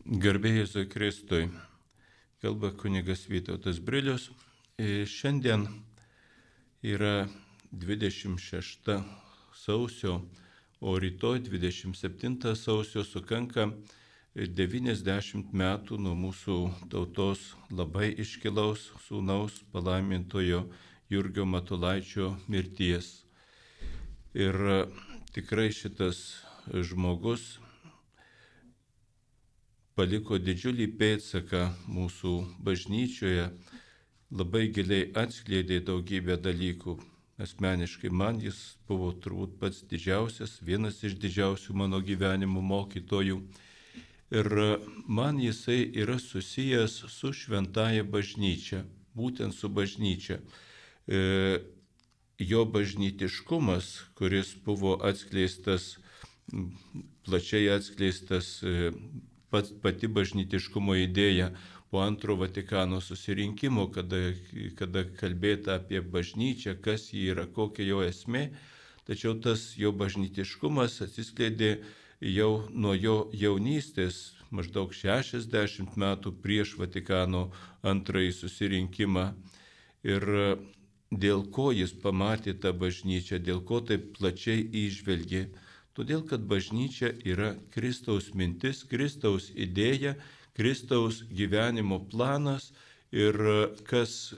Garbė Jėzui Kristui, kalba kunigas Vytautas Brilius. Šiandien yra 26 sausio, o rytoj 27 sausio sukanka 90 metų nuo mūsų tautos labai iškilaus sūnaus palaimintojo Jurgio Matulaičio mirties. Ir tikrai šitas žmogus paliko didžiulį pėdsaką mūsų bažnyčioje, labai giliai atskleidė daugybę dalykų. Asmeniškai man jis buvo turbūt pats didžiausias, vienas iš didžiausių mano gyvenimo mokytojų. Ir man jisai yra susijęs su šventąja bažnyčia, būtent su bažnyčia. Jo bažnytiškumas, kuris buvo atskleistas, plačiai atskleistas, pati bažnytiškumo idėja po antro Vatikano susirinkimo, kada kalbėta apie bažnyčią, kas ji yra, kokia jo esmė, tačiau tas jo bažnytiškumas atsiskleidė jau nuo jo jaunystės, maždaug 60 metų prieš Vatikano antrąjį susirinkimą. Ir dėl ko jis pamatė tą bažnyčią, dėl ko taip plačiai įžvelgė. Todėl, kad bažnyčia yra Kristaus mintis, Kristaus idėja, Kristaus gyvenimo planas ir kas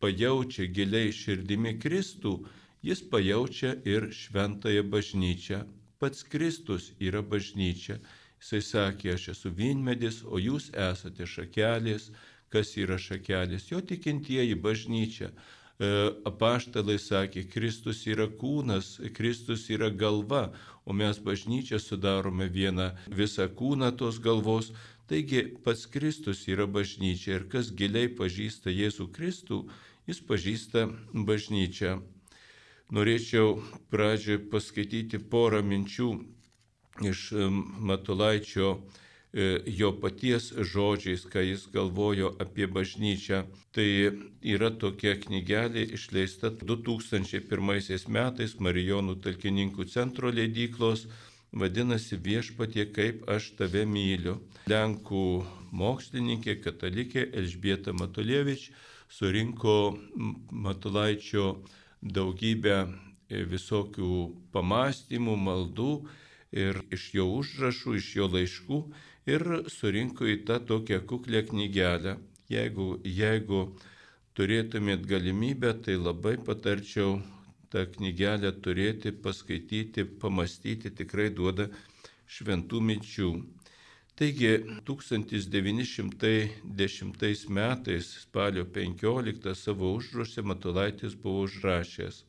pajaučia giliai širdimi Kristų, jis pajaučia ir šventąją bažnyčią. Pats Kristus yra bažnyčia. Jisai sakė, aš esu vynmedis, o jūs esate šakelės. Kas yra šakelės? Jo tikintieji bažnyčia. Apaštalai sakė, Kristus yra kūnas, Kristus yra galva, o mes bažnyčią sudarome visą kūną tos galvos. Taigi pats Kristus yra bažnyčia ir kas giliai pažįsta Jėzų Kristų, jis pažįsta bažnyčią. Norėčiau pradžioje paskaityti porą minčių iš Matulaičio, jo paties žodžiais, ką jis galvojo apie bažnyčią. Tai yra tokia knygelė išleista 2001 metais Marijonų talkininkų centro leidyklos, vadinasi Viešpatie, kaip aš tave myliu. Lenkų mokslininkė, katalikė Elžbieta Matulievič surinko Matulaičio daugybę visokių pamastymų, maldų ir iš jo užrašų, iš jo laiškų ir surinko į tą tokią kuklę knygelę. Jeigu turėtumėt galimybę, tai labai patarčiau tą knygelę turėti, paskaityti, pamastyti, tikrai duoda šventų minčių. Taigi 1910 metais spalio 15 savo užraše Matulaitis buvo užrašęs: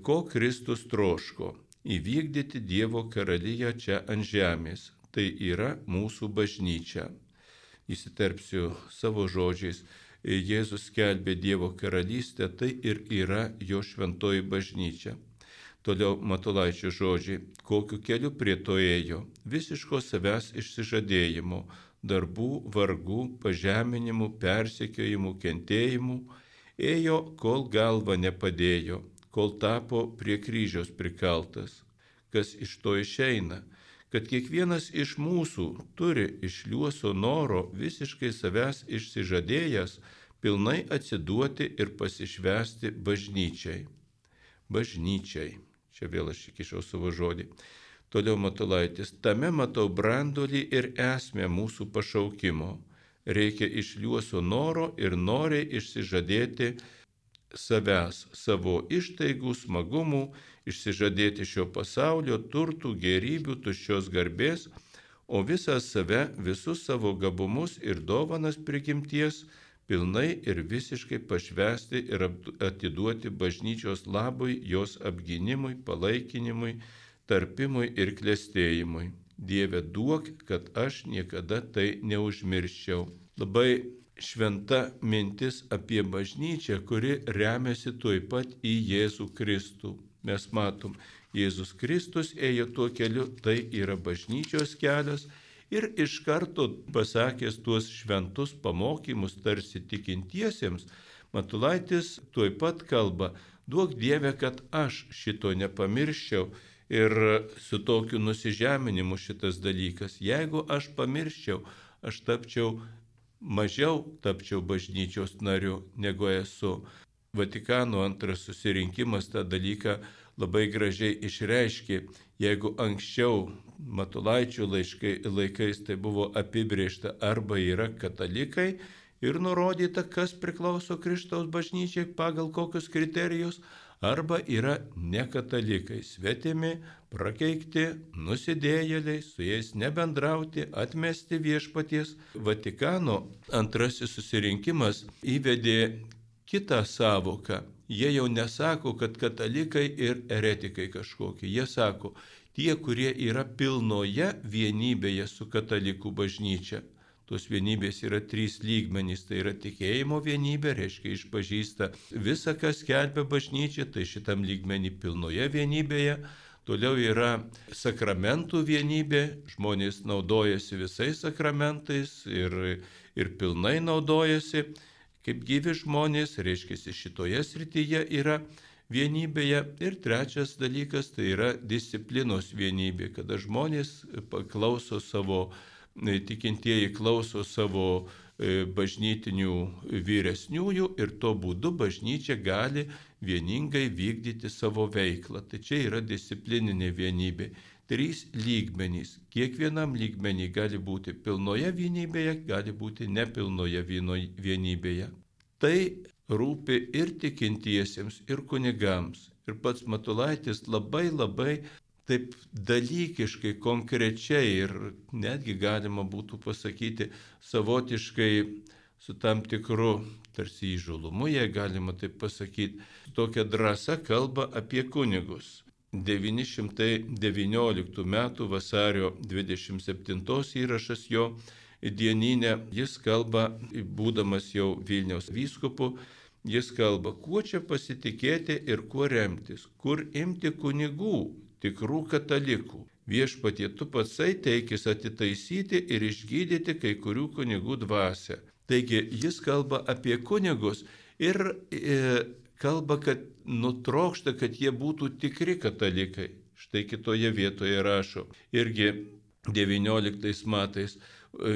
ko Kristus troško? Įvykdyti Dievo karaliją čia ant žemės. Tai yra mūsų bažnyčia. Įsiterpsiu savo žodžiais. Jėzus skelbė Dievo karalystę, tai ir yra jo šventoji bažnyčia. Toliau Matulaičio žodžiai. Kokiu keliu prie to ėjo? Visiško savęs išsižadėjimo, darbų, vargų, pažeminimų, persekiojimų, kentėjimų. Ėjo, kol galva nepadėjo, kol tapo prie kryžiaus prikaltas. Kas iš to išeina? Kad kiekvienas iš mūsų turi iš liuoso noro visiškai savęs išsižadėjęs pilnai atsiduoti ir pasišvęsti bažnyčiai. Bažnyčiai. Čia vėl aš įkišau savo žodį. Toliau Matulaitis. Tame matau branduolį ir esmę mūsų pašaukimo. Reikia iš liuoso noro ir noriai išsižadėti savęs, savo ištaigų, smagumų, išsižadėti šio pasaulio, turtų, gėrybių, tuščios garbės, o visą save, visus savo gabumus ir dovanas prigimties pilnai ir visiškai pašvęsti ir atiduoti bažnyčios labui, jos apgynimui, palaikinimui, tarpimui ir klestėjimui. Dieve, duok, kad aš niekada tai neužmirščiau. Labai šventa mintis apie bažnyčią, kuri remiasi tuoj pat į Jėzų Kristų. Mes matom, Jėzus Kristus ėjo tuo keliu, tai yra bažnyčios kelias ir iš karto pasakęs tuos šventus pamokymus tarsi tikintiesiems, Matulaitis tuoj pat kalba, duok Dieve, kad aš šito nepamirščiau Ir su tokiu nusižeminimu šitas dalykas, jeigu aš pamirščiau, aš mažiau tapčiau bažnyčios nariu, negu esu. Vatikano antras susirinkimas tą dalyką labai gražiai išreiškė. Jeigu anksčiau Matulaičio laikais tai buvo apibrėžta arba yra katalikai ir nurodyta, kas priklauso Kristaus bažnyčiai pagal kokius kriterijus, arba yra nekatalikai, svetimi, prakeikti, nusidėjėliai, su jais nebendrauti, atmesti viešpaties. Vatikano antrasis susirinkimas įvedė kitą savoką. Jie jau nesako, kad katalikai ir eretikai kažkokie. Jie sako, tie, kurie yra pilnoje vienybėje su katalikų bažnyčia. Tos vienybės yra 3 lygmenys, tai yra tikėjimo vienybė, reiškia išpažįsta visą, kas skelbia bažnyčia, tai šitam lygmenį pilnoje vienybėje. Toliau yra sakramentų vienybė, žmonės naudojasi visais sakramentais ir pilnai naudojasi, kaip gyvi žmonės, reiškia šitoje srityje yra vienybėje. Ir trečias dalykas tai yra disciplinos vienybė, kada žmonės klauso tikintieji klauso savo bažnytinių vyresniųjų ir to būdu bažnyčia gali vieningai vykdyti savo veiklą. Tai čia yra disciplininė vienybė. 3 lygmenys. Kiekvienam lygmenį gali būti pilnoje vienybėje, gali būti nepilnoje vienybėje. Tai rūpi ir tikintiesiems, ir kunigams. Ir pats Matulaitis labai taip dalykiškai, konkrečiai ir netgi galima būtų pasakyti savotiškai su tam tikru tarsi įžulumu, jei galima taip pasakyti, tokia drąsa kalba apie kunigus. 919 metų vasario 27 įrašas jo dieninė, jis kalba, būdamas jau Vilniaus vyskupu, jis kalba, kuo čia pasitikėti ir kuo remtis, kur imti kunigų, tikrų katalikų. Viešpatie, tu patsai teikis atitaisyti ir išgydyti kai kurių kunigų dvasią. Taigi jis kalba apie kunigus ir kalba, kad nutrokšta, kad jie būtų tikri katalikai. Štai kitoje vietoje rašo. Irgi 19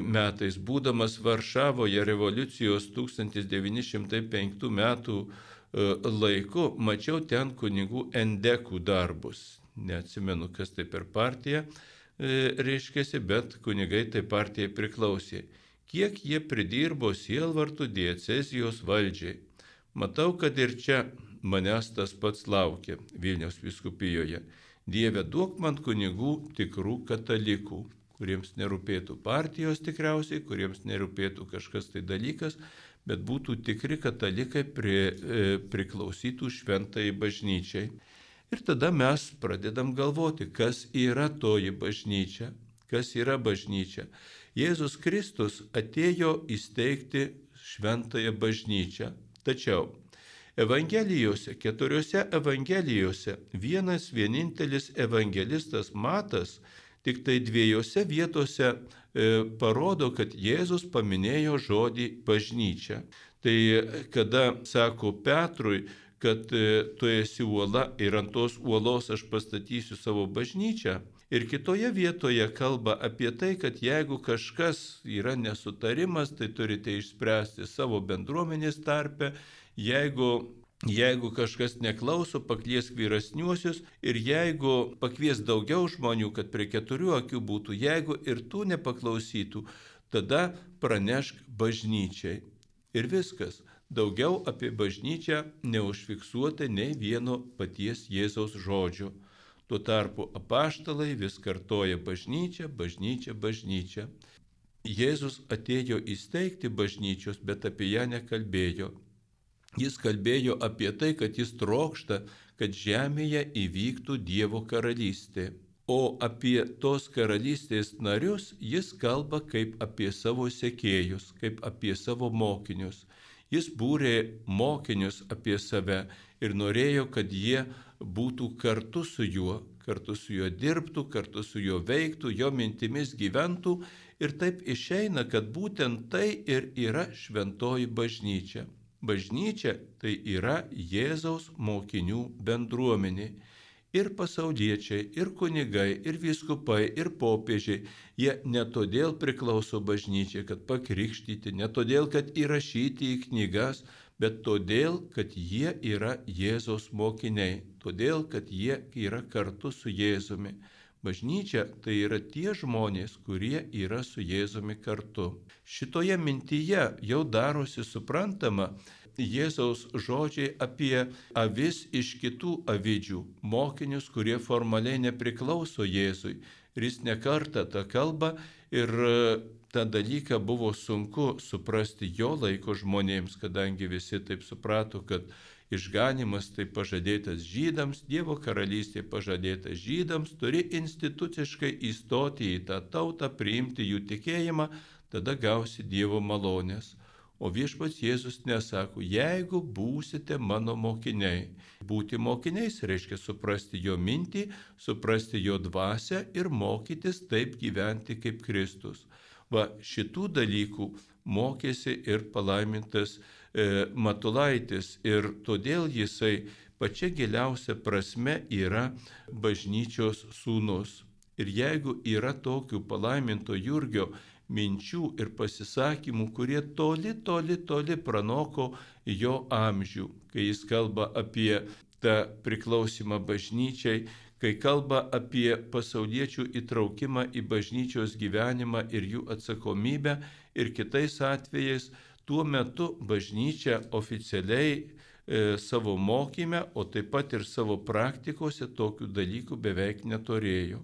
metais, būdamas Varšavoje revoliucijos 1905 metų laiku, mačiau ten kunigų endekų darbus. Neatsimenu, kas tai per partiją reiškėsi, bet kunigai tai partijai priklausė. Kiek jie pridirbo sielvartų diecezijos valdžiai. Matau, kad ir čia manęs tas pats laukia Vilniaus vyskupijoje. Dieve, duok man kunigų tikrų katalikų, kuriems nerūpėtų partijos tikriausiai, kuriems nerūpėtų kažkas tai dalykas, bet būtų tikri katalikai priklausytų šventai bažnyčiai. Ir tada mes pradedam galvoti, kas yra toji bažnyčia, kas yra bažnyčia. Jėzus Kristus atėjo įsteigti šventąją bažnyčią, tačiau Evangelijose, 4 Evangelijose, vienintelis evangelistas Matas tik tai 2 vietose parodo, kad Jėzus paminėjo žodį bažnyčia. Tai kada sako Petrui, kad tu esi uola ir ant tos uolos aš pastatysiu savo bažnyčią. Ir kitoje vietoje kalba apie tai, kad jeigu kažkas yra nesutarimas, tai turite išspręsti savo bendruomenės tarpe. Jeigu kažkas neklauso, pakviesk vyresniuosius ir jeigu pakvies daugiau žmonių, kad prie 4 akių būtų, jeigu ir tų nepaklausytų, tada pranešk bažnyčiai. Ir viskas. Daugiau apie bažnyčią neužfiksuota nei vieno paties Jėzaus žodžio. Tuo tarpu apaštalai vis kartoja bažnyčią, bažnyčią, bažnyčią. Jėzus atėjo įsteigti bažnyčios, bet apie ją nekalbėjo. Jis kalbėjo apie tai, kad jis trokšta, kad žemėje įvyktų Dievo karalystė. O apie tos karalystės narius jis kalba kaip apie savo sekėjus, kaip apie savo mokinius. Jis būrė mokinius apie save ir norėjo, kad jie būtų kartu su juo dirbtų, kartu su juo veiktų, jo mintimis gyventų. Ir taip išeina, kad būtent tai ir yra šventoji bažnyčia. Bažnyčia tai yra Jėzaus mokinių bendruomenė. Ir pasauliečiai, ir kunigai, ir vyskupai, ir popiežiai, jie ne todėl priklauso bažnyčiai, kad pakrikštyti, ne todėl, kad įrašyti į knygas, bet todėl, kad jie yra Jėzaus mokiniai, todėl, kad jie yra kartu su Jėzumi. Bažnyčia tai yra tie žmonės, kurie yra su Jėzumi kartu. Šitoje mintyje jau darosi suprantama Jėzaus žodžiai apie avis iš kitų avidžių, mokinius, kurie formaliai nepriklauso Jėzui. Ir jis nekartą tą kalbą ir tą dalyką buvo sunku suprasti jo laiko žmonėms, kadangi visi taip suprato, kad išganymas tai pažadėtas žydams, Dievo karalystė pažadėta žydams, turi instituciškai įstoti į tą tautą, priimti jų tikėjimą, tada gausi Dievo malonės. O viešpats Jėzus nesako, jeigu būsite mano mokiniai. Būti mokiniais reiškia suprasti jo mintį, suprasti jo dvasią ir mokytis taip gyventi kaip Kristus. Va, šitų dalykų mokėsi ir palaimintas Matulaitis ir todėl jisai pačia giliausia prasme yra bažnyčios sūnus. Ir jeigu yra tokių palaiminto Jurgio minčių ir pasisakymų, kurie toli pranoko jo amžių, kai jis kalba apie tą priklausimą bažnyčiai, kai kalba apie pasauliečių įtraukimą į bažnyčios gyvenimą ir jų atsakomybę ir kitais atvejais, tuo metu bažnyčia oficialiai savo mokyme, o taip pat ir savo praktikose tokių dalykų beveik neturėjo.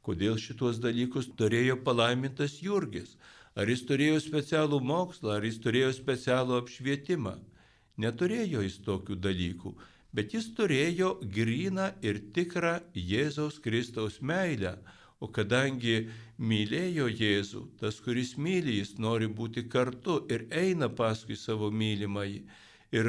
Kodėl šitos dalykus turėjo palaimintas Jurgis? Ar jis turėjo specialų mokslą, ar jis turėjo specialų apšvietimą? Neturėjo jis tokių dalykų, bet jis turėjo gryną ir tikrą Jėzaus Kristaus meilę. O kadangi mylėjo Jėzų, tas, kuris myli, jis nori būti kartu ir eina paskui savo mylimąjį. Ir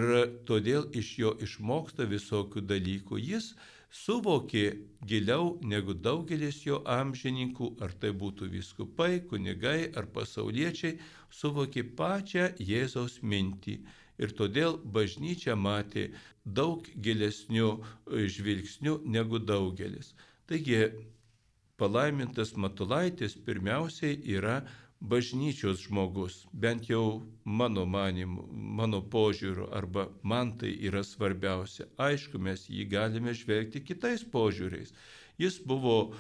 todėl iš jo išmoksta visokių dalykų. Jis suvokė giliau negu daugelis jo amžininkų, ar tai būtų vyskupai, kunigai ar pasauliečiai, suvokė pačią Jėzaus mintį. Ir todėl bažnyčia matė daug gilesnių žvilgsnių negu daugelis. Taigi, palaimintas Matulaitis pirmiausiai yra bažnyčios žmogus, bent jau mano manimu, mano požiūriu, arba man tai yra svarbiausia. Aišku, mes jį galime žvelgti kitais požiūriais. Jis buvo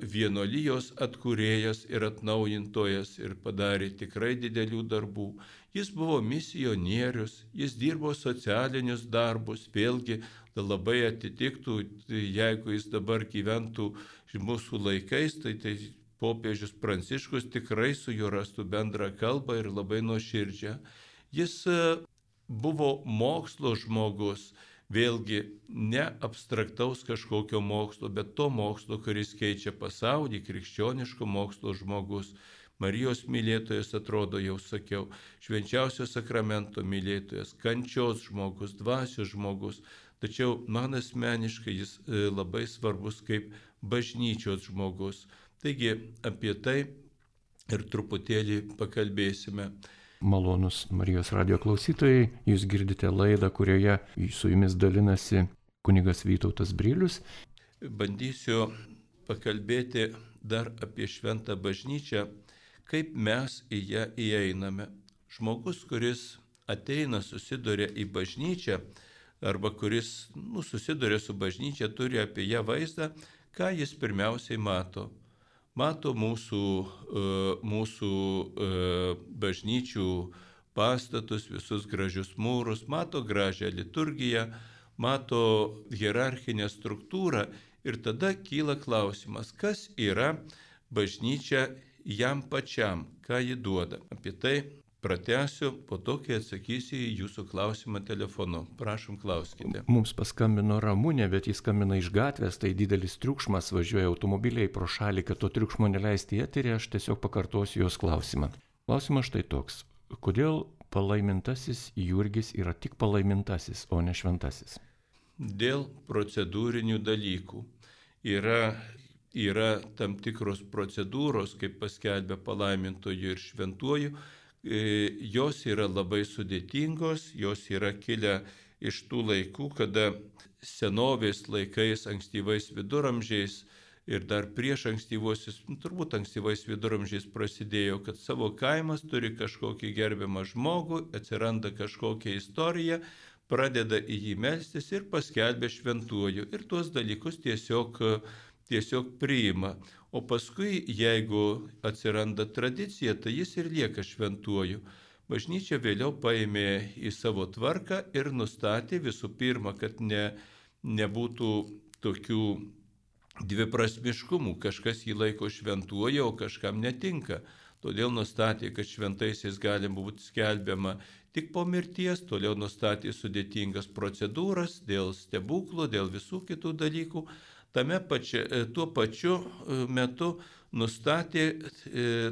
vienuolijos atkūrėjas ir atnaujintojas ir padarė tikrai didelių darbų. Jis buvo misionierius, jis dirbo socialinius darbus, vėlgi labai atitiktų, jeigu jis dabar gyventų mūsų laikais, tai popiežius Pranciškus tikrai su juo rastų bendrą kalbą ir labai nuoširdžią. Jis buvo mokslo žmogus, vėlgi ne abstraktaus kažkokio mokslo, bet to mokslo, kuris keičia pasaulį, krikščioniško mokslo žmogus. Marijos mylėtojas, atrodo, jau sakiau, švenčiausio sakramento mylėtojas, kančios žmogus, dvasios žmogus. Tačiau man asmeniškai jis labai svarbus kaip bažnyčios žmogus. Taigi apie tai ir truputėlį pakalbėsime. Malonus Marijos radijo klausytojai, jūs girdite laidą, kurioje su jumis dalinasi kunigas Vytautas Brilius. Bandysiu pakalbėti dar apie šventą bažnyčią, kaip mes į ją įeiname. Žmogus, kuris ateina, susiduria į bažnyčią, arba kuris susiduria su bažnyčia, turi apie ją vaizdą, ką jis pirmiausiai mato. Mato mūsų bažnyčių pastatus, visus gražius mūrus, mato gražią liturgiją, mato hierarchinę struktūrą ir tada kyla klausimas, kas yra bažnyčia jam pačiam, ką ji duoda. Apie tai pratęsiu, po to, kai atsakysiu į jūsų klausimą telefonu. Prašom, klauskite. Mums paskambino Ramunė, bet jis skambina iš gatvės, tai didelis triukšmas, važiuoja automobiliai pro šalį, kad to triukšmo neleisti į eterį, aš tiesiog pakartosiu jos klausimą. Klausimas štai toks. Kodėl palaimintasis Jurgis yra tik palaimintasis, o ne šventasis? Dėl procedūrinių dalykų. Yra tam tikros procedūros, kaip paskelbė palaimintoju ir šventuoju, jos yra labai sudėtingos, jos yra kilę iš tų laikų, kada senovės laikais, ankstyvais viduramžiais ir dar prieš ankstyvuosius, turbūt ankstyvais viduramžiais prasidėjo, kad savo kaimas turi kažkokį gerbiamą žmogų, atsiranda kažkokia istorija, pradeda į jį melstis ir paskelbia šventuoju. Ir tuos dalykus tiesiog priima. O paskui, jeigu atsiranda tradicija, tai jis ir lieka šventuoju. Bažnyčia vėliau paėmė į savo tvarką ir nustatė visų pirma, kad nebūtų tokių dviprasmiškumų, kažkas jį laiko šventuoju, o kažkam netinka. Todėl nustatė, kad šventaisiais gali būti skelbiama tik po mirties, toliau nustatė sudėtingas procedūras dėl stebuklų, dėl visų kitų dalykų. Tuo pačiu metu nustatė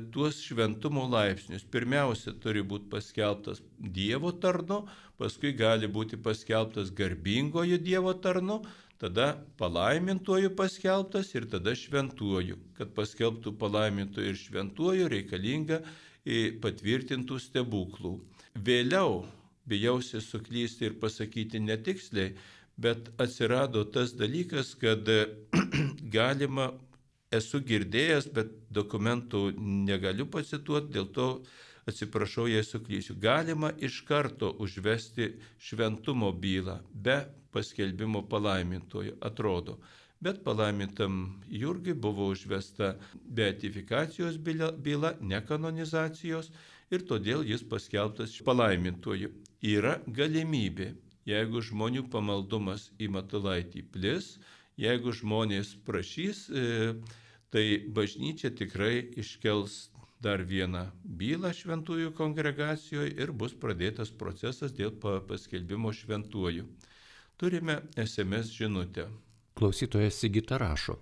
tuos šventumo laipsnius. Pirmiausia, turi būti paskelbtas Dievo tarnu, paskui gali būti paskelbtas garbingoju Dievo tarnu, tada palaimintuoju paskelbtas ir tada šventuoju. Kad paskelbtų palaimintuoju ir šventuoju, reikalinga patvirtintų stebuklų. Vėliau, bijausi suklysti ir pasakyti netiksliai, bet atsirado tas dalykas, kad galima, esu girdėjęs, bet dokumentų negaliu pacituoti, dėl to atsiprašau, jei suklysiu. Galima iš karto užvesti šventumo bylą be paskelbimo palaimintojo, atrodo. Bet palaimintam Jurgiui buvo užvesta beatifikacijos byla, ne kanonizacijos, ir todėl jis paskelbtas palaimintoju. Yra galimybė, jeigu žmonių pamaldumas į Matulaitį plis, jeigu žmonės prašys, tai bažnyčia tikrai iškels dar vieną bylą šventųjų kongregacijoje ir bus pradėtas procesas dėl paskelbimo šventuoju. Turime SMS žinutę. Klausytojas Sigita rašo.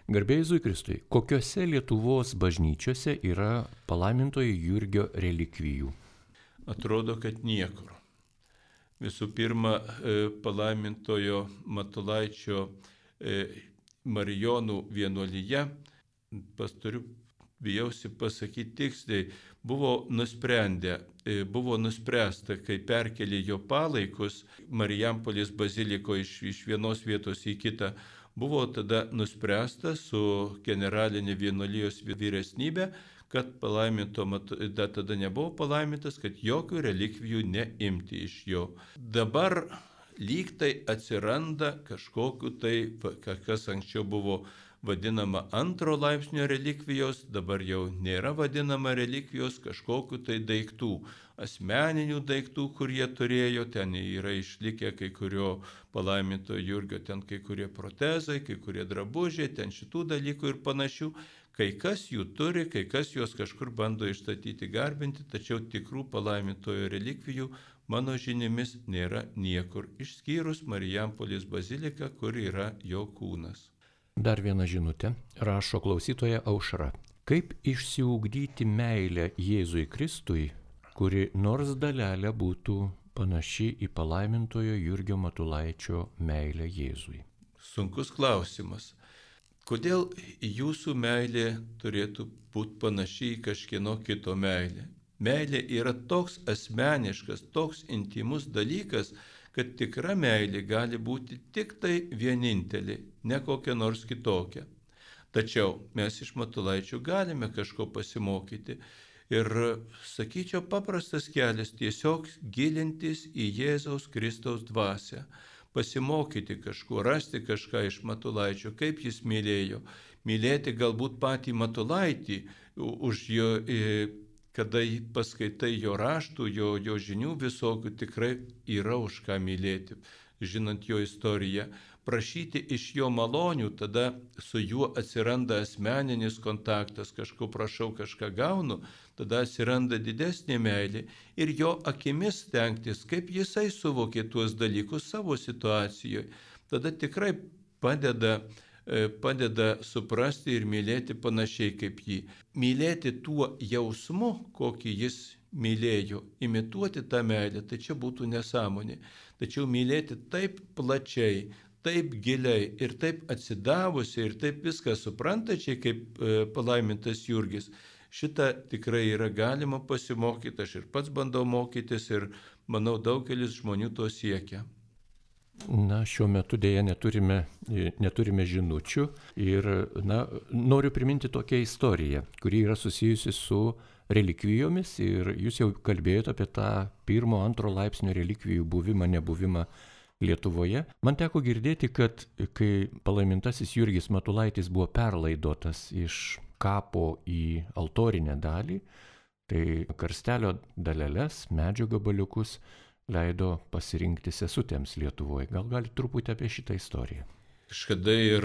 Garbė Jėzui Kristui, kokiose Lietuvos bažnyčiose yra palaimintojo Jurgio relikvijų? Atrodo, kad niekur. Visų pirma, palaimintojo Matulaičio Marijonų vienuolyje, bijausi pasakyti tiksliai, buvo nuspręsta, kai perkelė jo palaikus Marijampolės bazilikoje iš vienos vietos į kitą, buvo tada nuspręsta su generalinė vienuolijos vyresnybė, kad tada nebuvo palaimintas, kad jokių relikvijų neimti iš jo. Dabar lyg tai atsiranda kažkokiu tai, kas anksčiau buvo vadinama antro laipsnio relikvijos, dabar jau nėra vadinama relikvijos, kažkokiu tai daiktų, asmeninių daiktų, kurie turėjo, ten yra išlikę kai kurio palaiminto Jurgio, ten kai kurie protezai, kai kurie drabužiai, ten šitų dalykų ir panašių. Kai kas jų turi, kai kas juos kažkur bando išstatyti, garbinti, tačiau tikrų palaimintojo relikvijų mano žinimis nėra niekur, išskyrus Marijampolės baziliką, kur yra jo kūnas. Dar viena žinutė, rašo klausytoja Aušra. Kaip išsiugdyti meilę Jėzui Kristui, kuri nors dalelė būtų panaši į palaimintojo Jurgio Matulaičio meilę Jėzui? Sunkus klausimas. Kodėl jūsų meilė turėtų būti panaši į kažkieno kito meilę? Meilė yra toks asmeniškas, toks intimus dalykas, kad tikra meilė gali būti tik tai vienintelė, ne kokia nors kitokia. Tačiau mes iš Matulaičio galime kažko pasimokyti ir, sakyčiau, paprastas kelias tiesiog gilintis į Jėzaus Kristaus dvasią. Pasimokyti kažko, rasti kažką iš Matulaičio, kaip jis mylėjo. Mylėti galbūt patį Matulaitį, už jo, kada paskaitai jo raštų, jo žinių visokių, tikrai yra už ką mylėti, žinant jo istoriją. Prašyti iš jo malonių, tada su juo atsiranda asmeninis kontaktas, kažko prašau, kažką gaunu, tada atsiranda didesnė meilė ir jo akimis stengtis, kaip jisai suvokė tuos dalykus savo situacijoje. Tada tikrai padeda suprasti ir mylėti panašiai kaip jį. Mylėti tuo jausmu, kokį jis mylėjo, imituoti tą meilę, tai čia būtų nesąmonė. Tačiau mylėti taip plačiai, taip giliai ir taip atsidavusiai ir taip viską suprantačiai, kaip palaimintas Jurgis. Šitą tikrai yra galima pasimokyti, aš ir pats bandau mokytis ir manau daugelis žmonių to siekia. Na, šiuo metu dėja neturime žinučių ir noriu priminti tokią istoriją, kuri yra susijusi su relikvijomis ir jūs jau kalbėjote apie tą 1-2 laipsnio relikvijų buvimą, nebuvimą Lietuvoje. Man teko girdėti, kad kai palaimintasis Jurgis Matulaitis buvo perlaidotas iš kapo į altorinę dalį, tai karstelio daleles, medžio gabaliukus leido pasirinkti sesutėms Lietuvoje. Gal galite truputį apie šitą istoriją? Kažkada ir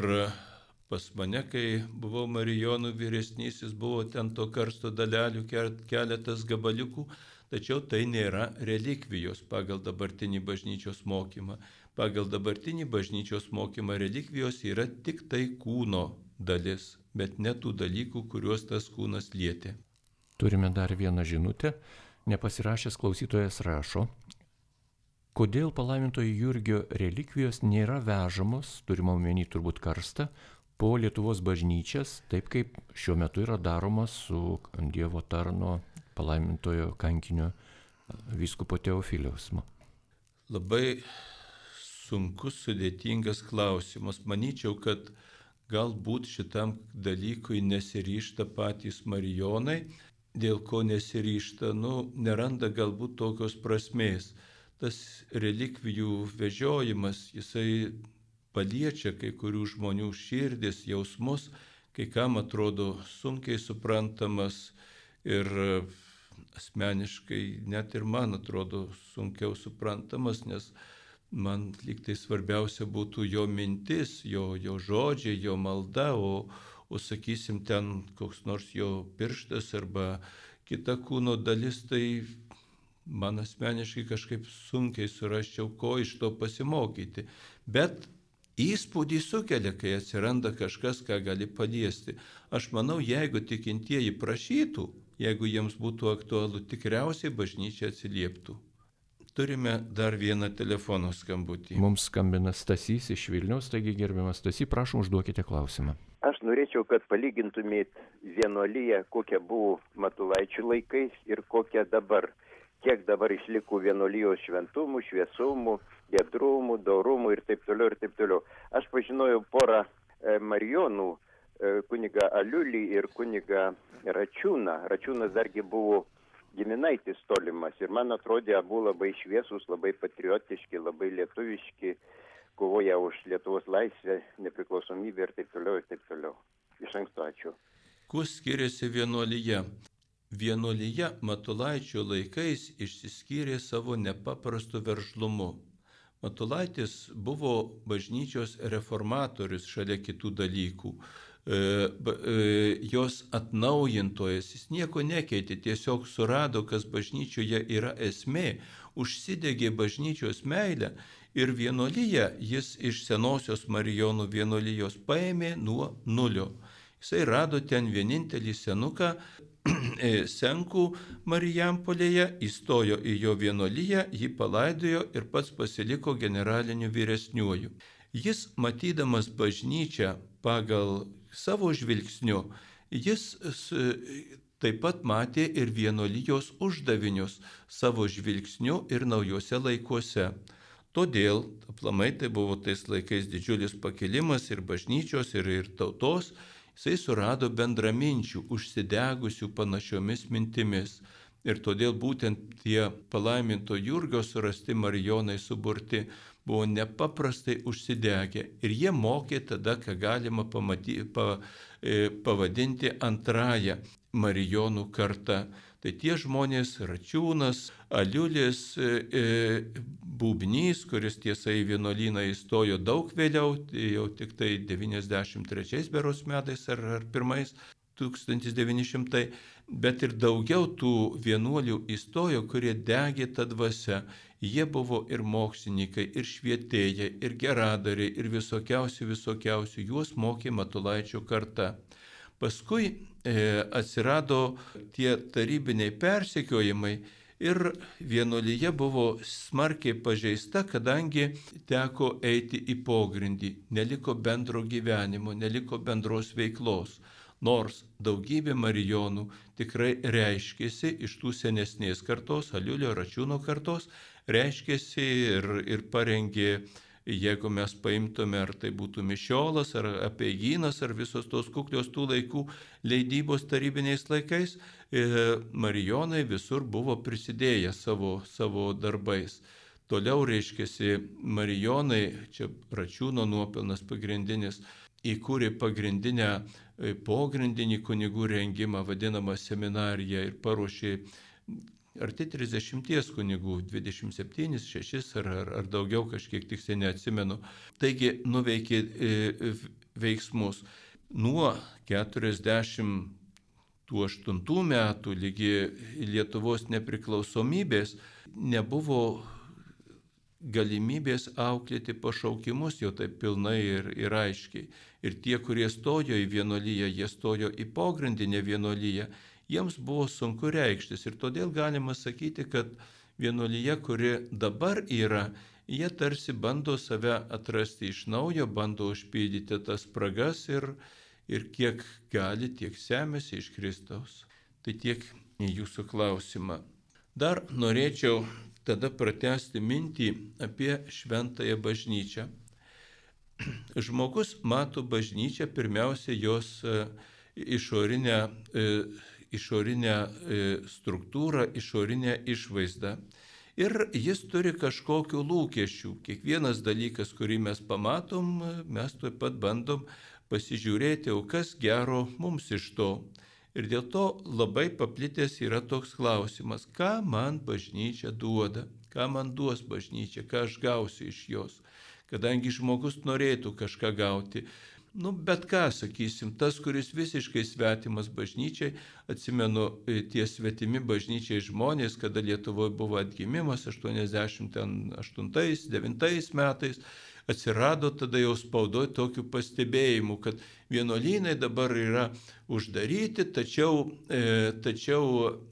pas mane, kai buvau Marijonų vyresnysis, buvo ten to karsto dalelių keletas gabaliukų, tačiau tai nėra relikvijos pagal dabartinį bažnyčios mokymą. Pagal dabartinį bažnyčios mokymą relikvijos yra tik tai kūno dalis, bet ne tų dalykų, kuriuos tas kūnas lietė. Turime dar vieną žinutę. Nepasirašęs klausytojas rašo, kodėl palaimintojo Jurgio relikvijos nėra vežamos, turime omeny turbūt karstą, po Lietuvos bažnyčias, taip kaip šiuo metu yra daroma su Dievo tarno palaimintojo kankinio vyskupo Teofiliaus. Labai sunkus, sudėtingas klausimas. Manyčiau, kad galbūt šitam dalykui nesiryžta patys marijonai, dėl ko nesiryžta, neranda galbūt tokios prasmės. Tas relikvijų vežiojimas, jisai paliečia kai kurių žmonių širdis, jausmus, kai kam atrodo sunkiai suprantamas ir asmeniškai net ir man atrodo sunkiau suprantamas, nes man lyg tai svarbiausia būtų jo mintis, jo žodžiai, jo malda, o sakysim ten koks nors jo pirštas arba kita kūno dalis, tai man asmeniškai kažkaip sunkiai surasčiau, ko iš to pasimokyti. Bet įspūdį sukelia, kai atsiranda kažkas, ką gali paliesti. Aš manau, jeigu tikintieji prašytų, jeigu jiems būtų aktualu, tikriausiai bažnyčia atsilieptų. Turime dar vieną telefono skambutį. Mums skambina Stasys iš Vilniaus, taigi gerbiamas Stasy, prašom užduokite klausimą. Aš norėčiau, kad palygintumėt vienuoliją, kokia buvo Matulaičių laikais ir kokia dabar. Kiek dabar išliko vienuolijos šventumų, šviesumų, giedrumų, dorumų ir taip toliau ir taip toliau. Aš pažinojau porą marijonų, kunigą Aliulį ir kunigą Račiūną. Račiūnas dargi buvo giminaitis tolimas ir man atrodė, abu labai šviesus, labai patriotiški, labai lietuviški, kovoja už Lietuvos laisvę, nepriklausomybę ir taip toliau ir taip toliau. Iš anksto ačiū. Kuo skiriasi vienuolija? Vienuolija Matulaičio laikais išsiskyrė savo nepaprastu veržlumu. Matulaitis buvo bažnyčios reformatorius šalia kitų dalykų. Jos atnaujintojas, jis nieko nekeitė, tiesiog surado, kas bažnyčioje yra esmė, užsidegė bažnyčios meilę ir vienuoliją jis iš senosios Marijonų vienuolijos paėmė nuo nulio. Jisai rado ten vienintelį senuką, Senkų Marijampolėje, įstojo į jo vienuoliją, jį palaidojo ir pats pasiliko generaliniu vyresniuoju. Jis, matydamas bažnyčią pagal savo žvilgsniu, jis taip pat matė ir vienuolijos uždavinius savo žvilgsniu ir naujuose laikuose. Todėl, aplamai tai buvo tais laikais didžiulis pakilimas ir bažnyčios, ir tautos. Jisai surado bendraminčių, užsidegusių panašiomis mintimis. Ir todėl būtent tie palaiminto Jurgio surasti marijonai suburti buvo nepaprastai užsidegę. Ir jie mokė tada, ką galima pavadinti antrąją marijonų kartą. Tai tie žmonės Račiūnas, Aliulis, Būbnys, kuris tiesa į vienuolyną įstojo daug vėliau, jau tik tai 93 beros metais ar 1900, bet ir daugiau tų vienuolių įstojo, kurie degė tą dvasią. Jie buvo ir mokslininkai, ir švietėjai, ir geradariai, ir visokiausių. Juos mokė Matulaičio karta. Paskui atsirado tie tarybiniai persekiojimai ir vienuolija buvo smarkiai pažeista, kadangi teko eiti į pogrindį, neliko bendro gyvenimo, neliko bendros veiklos. Nors daugybė marijonų tikrai reiškėsi iš tų senesnės kartos, Aliulio Račiūno kartos, reiškėsi ir parengė Jeigu mes paimtume, ar tai būtų Mišiolas, ar Apeigynas, ar visos tos kuklios tų laikų leidybos tarybiniais laikais, marijonai visur buvo prisidėję savo darbais. Toliau reiškiasi marijonai, čia Račiūno nuopelnas pagrindinis, įkūrė pagrindinę pogrindinį kunigų rengimą, vadinamą seminariją, ir paruošė arti 30 kunigų, 27, 6 ar daugiau, kažkiek tiksliai neatsimenu. Taigi nuveikė veiksmus. Nuo 48 metų lygi Lietuvos nepriklausomybės nebuvo galimybės auklėti pašaukimus jau taip pilnai ir aiškiai. Ir tie, kurie stojo į vienuolyją, jie stojo į pogrindinę vienuolyją, jiems buvo sunku reikštis. Ir todėl galima sakyti, kad vienuolyje, kuri dabar yra, jie tarsi bando save atrasti iš naujo, bando užpildyti tas spragas ir kiek gali, tiek semiasi iš Kristaus. Tai tiek į jūsų klausimą. Dar norėčiau tada pratęsti mintį apie šventąją bažnyčią. Žmogus mato bažnyčią pirmiausia jos išorinę struktūrą, išorinę išvaizdą. Ir jis turi kažkokių lūkesčių. Kiekvienas dalykas, kurį mes pamatom, mes taip pat bandom pasižiūrėti, o kas gero mums iš to. Ir dėl to labai paplitęs yra toks klausimas, ką man bažnyčia duoda, ką man duos bažnyčia, ką aš gausiu iš jos. Kadangi žmogus norėtų kažką gauti, bet ką, sakysim, tas, kuris visiškai svetimas bažnyčiai, atsimenu, tie svetimi bažnyčiai žmonės, kada Lietuvoje buvo atgimimas 88-89 metais, atsirado tada jau spaudoje tokių pastebėjimų, kad vienuolynai dabar yra uždaryti, tačiau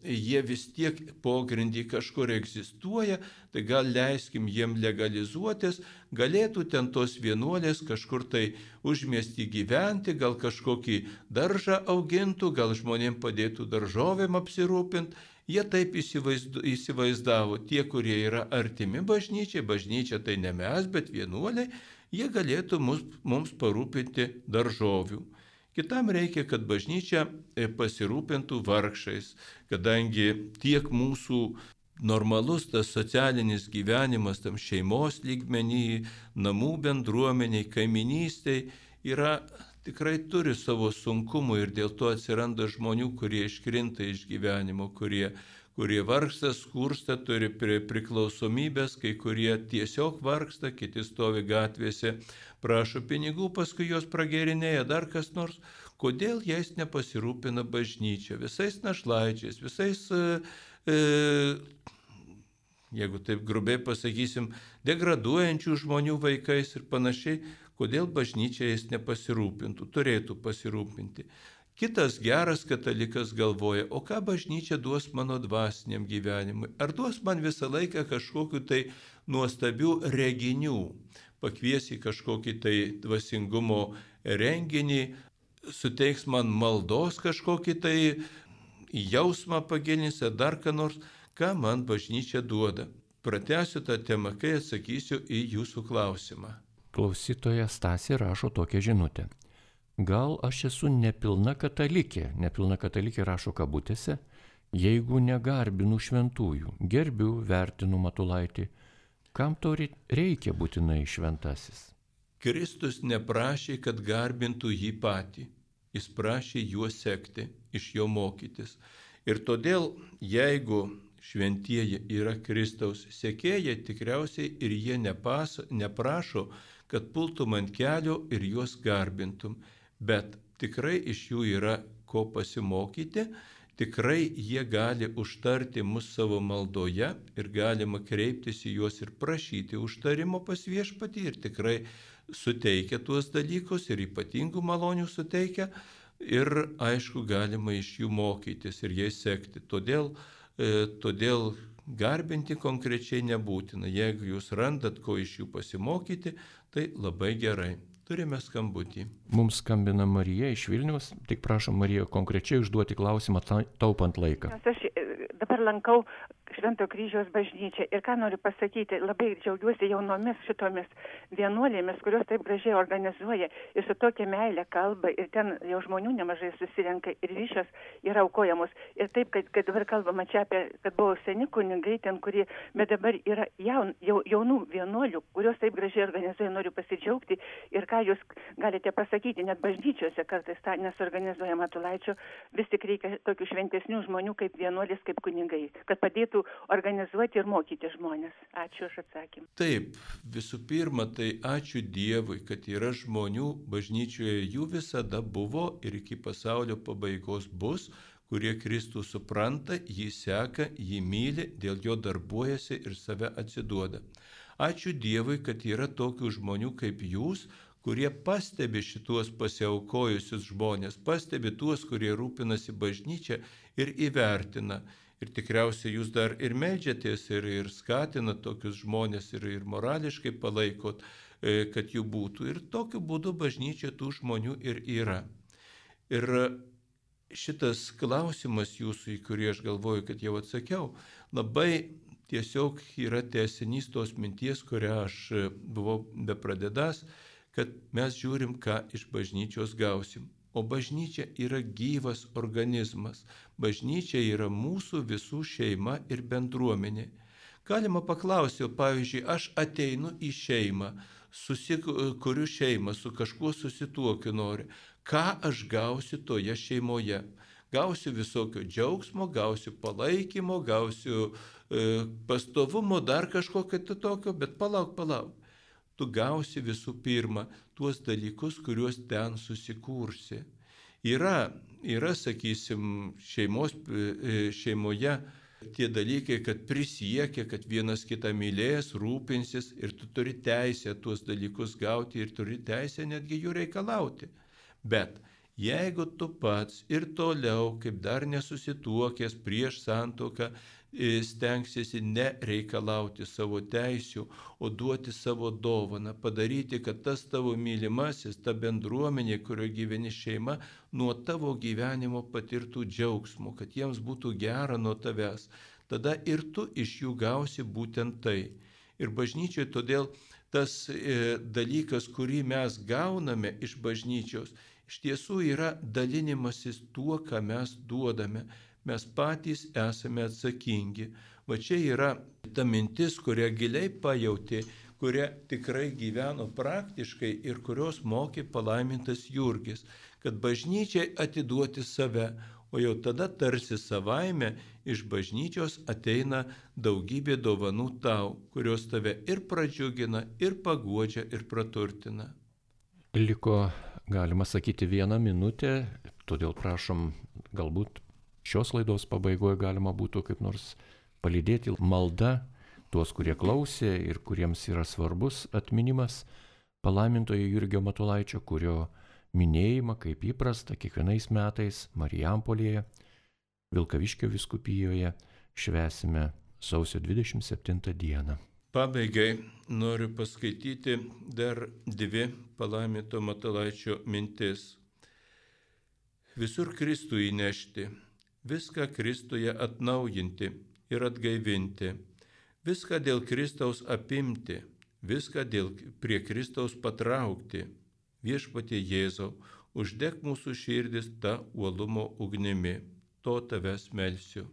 jie vis tiek pogrindį kažkur egzistuoja, tai gal leiskim jiem legalizuotis, galėtų ten tos vienuolės kažkur tai užmiestį gyventi, gal kažkokį daržą augintų, gal žmonėm padėtų daržovėm apsirūpinti. Jie taip įsivaizdavo, tie, kurie yra artimi bažnyčiai, bažnyčia tai ne mes, bet vienuoliai, jie galėtų mums parūpinti daržovių. Kitam reikia, kad bažnyčia pasirūpintų vargšais, kadangi tiek mūsų normalus tas socialinis gyvenimas tam šeimos lygmenį, namų bendruomeniai, kaiminystėj yra tikrai turi savo sunkumų ir dėl to atsiranda žmonių, kurie iškrinta iš gyvenimo, kurie vargsta, skursta, turi priklausomybės, kai kurie tiesiog vargsta, kiti stovi gatvėse, prašo pinigų, paskui jos pragėrinėja dar kas nors. Kodėl jais nepasirūpina bažnyčia? Visais našlaičiais, visais, jeigu taip grubiai pasakysim, degraduojančių žmonių vaikais ir panašiai, kodėl bažnyčia jais nepasirūpintų, turėtų pasirūpinti. Kitas geras katalikas galvoja, o ką bažnyčia duos mano dvasiniam gyvenimui? Ar duos man visą laiką kažkokiu tai nuostabių reginių? Pakvies į kažkokį tai dvasingumo renginį, suteiks man maldos kažkokį tai jausmą pagilins, ar dar ką nors, ką man bažnyčia duoda. Pratęsiu tą temą, kai atsakysiu į jūsų klausimą. Klausytoja Stasė rašo tokią žinutę. Gal aš esu nepilna katalikė rašo kabutėse, jeigu negarbinu šventųjų, gerbiu, vertinu Matulaitį, kam to reikia būtinai šventasis? Kristus neprašė, kad garbintų jį patį, jis prašė juo sekti, iš jo mokytis. Ir todėl, jeigu šventieji yra Kristaus sekėjai, tikriausiai ir jie neprašo, kad pultum ant kelio ir juos garbintum, bet tikrai iš jų yra ko pasimokyti, tikrai jie gali užtarti mus savo maldoje ir galima kreiptis į juos ir prašyti užtarimo pas Viešpatį ir tikrai suteikia tuos dalykus ir ypatingų malonių suteikia ir aišku galima iš jų mokytis ir jais sekti. Todėl garbinti konkrečiai nebūtina. Jeigu jūs randat, ko iš jų pasimokyti, tai labai gerai. Turime skambutį. Mums skambina Marija iš Vilniaus. Tik prašom, Marija, konkrečiai užduoti klausimą, taupant laiką. Aš dabar lankau Švento kryžiaus bažnyčia. Ir ką noriu pasakyti, labai džiaugiuosi jaunomis šitomis vienuolėmis, kurios taip gražiai organizuoja ir su tokia meilė kalba, ir ten jau žmonių nemažai susirenka ir ryšios yra aukojamos. Ir taip, kad dabar kalbama čia apie, kad buvo seni kunigai ten, kurie, bet dabar yra jaunų vienuolių, kurios taip gražiai organizuoja, noriu pasidžiaugti. Ir ką jūs galite pasakyti, net bažnyčiose kartais tą nesuorganizuoja Matulaičio, vis tik reikia tokių šventesnių žmonių kaip vienuolis, kaip kunigai, kad padėtų organizuoti ir mokyti žmonės. Ačiū už atsakymą. Taip, visų pirma, tai ačiū Dievui, kad yra žmonių bažnyčioje, jų visada buvo ir iki pasaulio pabaigos bus, kurie Kristų supranta, jį seka, jį myli, dėl jo darbuojasi ir save atsiduoda. Ačiū Dievui, kad yra tokių žmonių kaip jūs, kurie pastebi šituos pasiaukojusius žmonės, pastebi tuos, kurie rūpinasi bažnyčia ir įvertina. Ir tikriausiai jūs dar ir meldžiatės, ir skatinat tokius žmonės, ir morališkai palaikot, kad jų būtų. Ir tokiu būdu bažnyčia tų žmonių ir yra. Ir šitas klausimas jūsų, į kurį aš galvoju, kad jau atsakiau, labai tiesiog yra tęsinys tos minties, kurią aš buvau bepradedąs, kad mes žiūrim, ką iš bažnyčios gausim. O bažnyčia yra gyvas organizmas. Bažnyčia yra mūsų visų šeima ir bendruomenė. Galima paklausti, pavyzdžiui, aš ateinu į šeimą, susikuriu šeimą, su kažkuo susituokiu noriu. Ką aš gausiu toje šeimoje? Gausiu visokio džiaugsmo, gausiu palaikymo, gausiu pastovumo, dar kažkokio tokio, bet palauk. Tu gausi visų pirma tuos dalykus, kuriuos ten susikursi. Yra, sakysim, šeimoje tie dalykai, kad prisiekia, kad vienas kitą mylės, rūpinsis ir tu turi teisę tuos dalykus gauti ir turi teisę netgi jų reikalauti. Bet jeigu tu pats ir toliau, kaip dar nesusituokęs prieš santuoką, stengsiesi nereikalauti savo teisių, o duoti savo dovaną, padaryti, kad tas tavo mylimasis, ta bendruomenė, kurioje gyveni šeima, nuo tavo gyvenimo patirtų džiaugsmų, kad jiems būtų gera nuo tavęs. Tada ir tu iš jų gausi būtent tai. Ir bažnyčioje todėl tas dalykas, kurį mes gauname iš bažnyčios, iš tiesų yra dalinimasis tuo, ką mes duodame. Mes patys esame atsakingi. Va čia yra ta mintis, kurią giliai pajauti, kurią tikrai gyveno praktiškai ir kurios mokė palaimintas Jurgis, kad bažnyčiai atiduoti save, o jau tada tarsi savaime iš bažnyčios ateina daugybė dovanų tau, kurios tave ir pradžiugina, ir paguodžia, ir praturtina. Liko, galima sakyti, 1 minutė, todėl prašom, galbūt šios laidos pabaigoje galima būtų kaip nors palydėti malda tuos, kurie klausė ir kuriems yra svarbus atminimas palaimintojo Jurgio Matulaičio, kurio minėjimą, kaip įprasta, kiekvienais metais Marijampolėje, Vilkaviškio vyskupijoje švęsime sausio 27 dieną. Pabaigai noriu paskaityti dar 2 palaiminto Matulaičio mintis. Visur Kristų įnešti, viską Kristuje atnaujinti ir atgaivinti, viską dėl Kristaus apimti, viską prie Kristaus patraukti. Viešpatie Jėzau, uždek mūsų širdis tą uolumo ugnimi, to tavęs melsiu.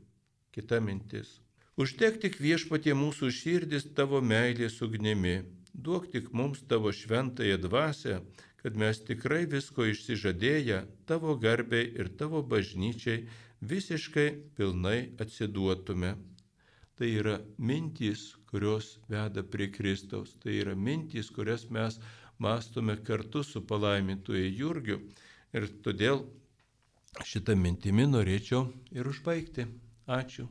Kita mintis. Uždek tik Viešpatie mūsų širdis tavo meilės ugnimi, duok tik mums tavo šventąją dvasią, kad mes tikrai visko išsižadėję tavo garbei ir tavo bažnyčiai visiškai pilnai atsiduotume. Tai yra mintys, kurios veda prie Kristaus. Tai yra mintys, kurias mes mąstome kartu su palaimintuoju Jurgiu. Ir todėl šitą mintimį norėčiau ir užbaigti. Ačiū.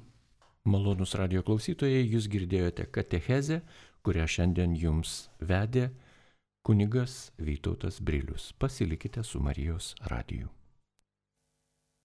Malonūs radijo klausytojai, jūs girdėjote katechezę, kurią šiandien jums vedė kunigas Vytautas Brilius. Pasilikite su Marijos radiju.